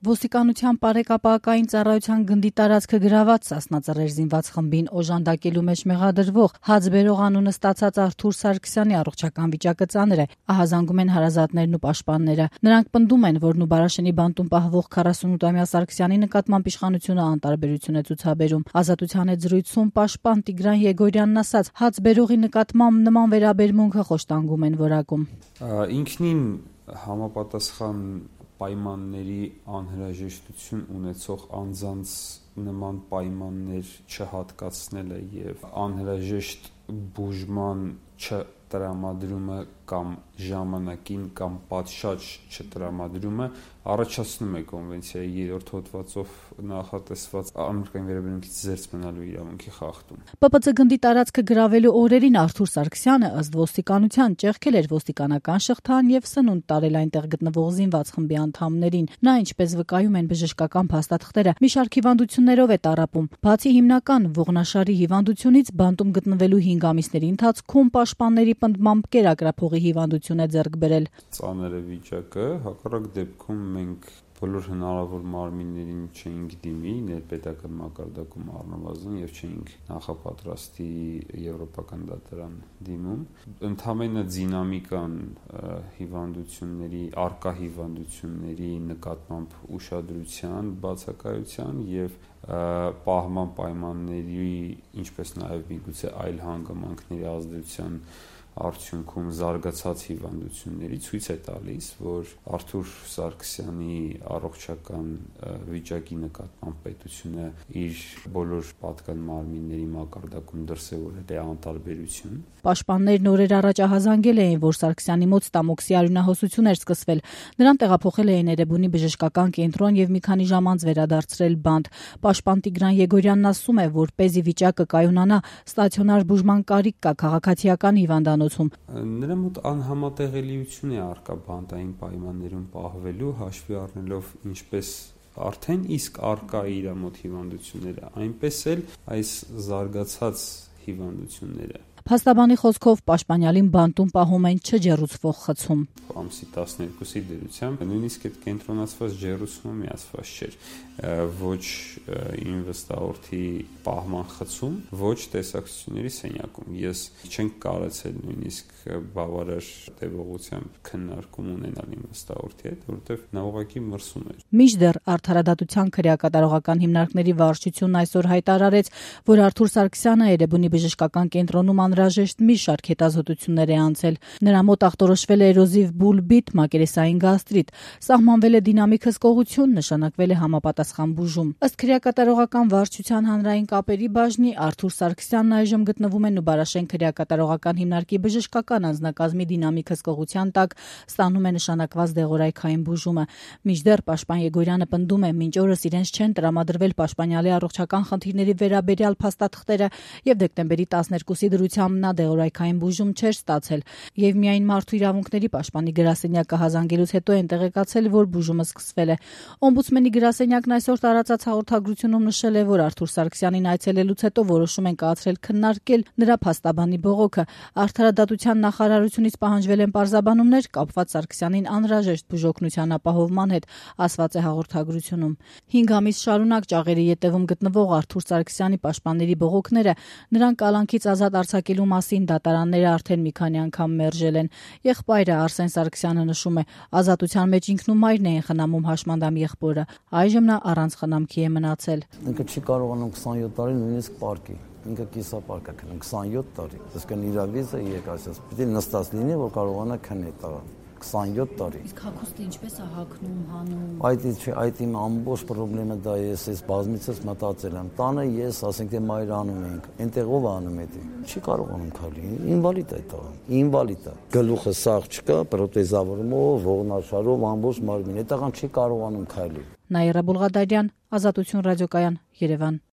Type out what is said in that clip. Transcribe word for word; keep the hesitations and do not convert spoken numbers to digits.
Ոստիկանության բարեկապակային ծառայության գնդի տարածքը գրաված Սասնածռեր զինված խմբին օժանդակելու մեջ մեղադրվող հաց բերող անունը ստացած Արթուր Սարգսյանի առողջական վիճակը ծանր է, ահազանգում են հարազատներն ու պաշտպանները։ Նրանք պնդում են, որ Նուբարաշենի բանտում պահվող քառասունութամյա Սարգսյանի նկատմամբ իշխանությունը անտարբերություն է ցուցաբերում։ Ազատության հետ զրույցում պաշտպան Տիգրան Եգորյանն ասաց, հաց բերողի նկատմամբ նման վերաբերմունքը խոշտանգում են որակում։ Ինքնին համապատասխան պայմանների անհրաժեշտություն ունեցող անձանց նման պայմաններ չհատկացնելը եւ անհրաժեշտ բուժման չտրամադրումը կամ ժամանակին կամ պատշաճ չտրամադրումը առաջացնում է կոնվենցիայի երրորդ հոդվածով նախատեսված անմրգային վերաբերմունքից զերծ մնալու իրավունքի խախտում։ Պ Պ Ծ գնդի տարածքը գրավելու օրերին Արթուր Սարգսյանը ըստ ոստիկանության ճեղքել էր ոստիկանական շղթան եւ սնունդ տարել այնտեղ գտնվող զինված խմբի անդամներին։ Նա, ինչպես վկայում են բժշկական փաստաթղթերը, մի շարք հիվանդություններով է տառապում։ Բացի հիմնական ողնաշարի հիվանդությունից, բանտում գտնվելու հինգ ամիսների ընթացքում պաշտպանների պնդմամբ կերակրափողի հիվանդություն է ձեռք բերել։ Ծանր է վիճակը, հակառակ դեպքում մենք բոլոր հնարավոր մարմիններին չէինք դիմի ներպետական մակարդակում առնվազն եւ չէինք նախապատրաստի եվրոպական դատարան դիմում։ Ընդհանրապես դինամիկան հիվանդությունների, արկա հիվանդությունների նկատմամբ ուշադրության, բացակայության եւ պահման պայմանների, ինչպես նաեւ միգուցե այլ հանգամանքների ազդեցության արդյունքում զարգացած հիվանդությունների ցույց է տալիս, որ Արթուր Սարգսյանի առողջական վիճակի նկատմամբ պետությունը իր բոլոր պատկան մարմինների մակարդակում դրսևորել է անտարբերություն։ Պաշտպաններն օրեր առաջ ահազանգել էին, որ Սարգսյանի մոտ ստամոքսի արյունահոսություն էր սկսվել։ Նրան տեղափոխել էին Էրեբունի բժշկական կենտրոն եւ մի քանի ժամ անց վերադարձրել բանտ։ Պաշտպան Տիգրան Եգորյանն ասում է, որ պեզի վիճակը կայունանա, ստացիոնար բուժման կարիք կա քաղաքացիական հիվանդանոցում։ Նրա մոտ անհամատեղելիություն է առկա բանտային պայմաններում պահվելու, հաշվի առնելով ինչպես արդեն իսկ առկա է իր մոտ հիվանդությունները, այնպես էլ այս զարգացած հիվանդությունները։ Փաստաբանի խոսքով պաշտպանյալին բանտում պահում են չջեռուցվող խցում։ Ամսի տասներկուսի դերությամբ նույնիսկ այդ կենտրոնացված ջեռուցումը միացված չէր, ոչ ինվեստորի պահման խցում, ոչ տեսակցությունների սենյակում։ Ես չենք կարացել նույնիսկ բավարար տևողությամբ քննարկում ունենալ ինվեստորի հետ, որովհետև նա ուղղակի մրսում էր։ Մինչդեռ Արդարադատության քրեակատարողական հիմնարկների վարչությունն այսօր հայտարարեց, որ Արթուր Սարգսյանը Էրեբունի բժշկական կենտրոնում անհրաժեշտ մի շարք հետազոտություններ է անցել։ Նրա մոտ ախտորոշվել է էրոզիվ բուլբիտ, մակերեսային գաստրիտ, սահմանվել է դինամիկ հսկողություն, նշանակվել է համապատասխան բուժում։ Ըստ քրեակատարողական վարչության հանրային կապերի բաժնի Արթուր Սարգսյանն այժմ գտնվում է Նուբարաշեն քրեակատարողական հիմնարկի բժշկական անձնակազմի դինամիկ հսկողության տակ, ստանում է նշանակված դեղորայքային բուժումը։ Մինչդեռ պաշտպան Եգորյանը պնդում է, մինչ օրս իրենց չեն տրամադրվել պաշտպանյալի առողջական խնդիրների վերաբերյալ փաստաթղթերը եւ դեկտեմբերի տասներկուսի դրությամբ նա դեղորայքային բուժում չէր ստացել եւ միայն մարդու իրավունքների պաշտպանի գրասենյակը հազանգելուց հետո են տեղեկացել, որ բուժումը սկսվել է։ Օմբուդսմենի գրասենյակն այսօր տարածած հաղորդագրությունում նշել է, որ Արթուր Սարգսյանին այցելելուց հետո որոշում են կայացրել քննարկել նրա փաստաբանի բողոքը։ Արդարադատության նախարարությունից պահանջվել են պարզաբանումներ կապված Սարգսյանին անհրաժեշտ բուժօգնության ապահովման հետ, ասված է հաղորդագրությունում։ հինգ ամիս շարունակ ճաղերի ետևում գտնվող Արթուր Սարգսյանի պաշտպանների բողոքները նրան կալանքից ազատ արձակելու մասին դատարանները արդեն մի քանի անգամ մերժել են։ Եղբայրը Արսեն Սարգսյանը նշում է, ազատության մեջ ինքնումայրն էին խնամում հաշմանդամ եղբորը։ Այժմ նա առանց խնամքի է մնացել։ Ինքը չի կարողանում քսանյոթ տարի նույնիսկ պարկի։ Ինքը կիսապարկ է քնում քսանյոթ տարի։ Իսկ իր վիզը եկածից պիտի նստած լինի, որ կարողանա քնել տղան։ քսանյոթ տարի։ Իսկ հագուստը ինչպես է հագնում, հանում։ Այդ չէ, այդ իմ ամբողջ խնդրումը դա է, ես բազմիցս մտածել եմ։ Տանը ես, ասենք թե մայր անում ենք, այնտեղ ով անում է դա։ Չի կարողանում քայլի, ինվալիդ է դա։ Ինվալիդ է։ Գլուխը սաղ չկա, պրոթեզավորումով, ողնաշարով ամբողջ մարմին։ Այդ տղան չի կարողանում քայլի։ Նաիրա Բուլղադարյան, Ազատություն ռադիոկայան, Երևան։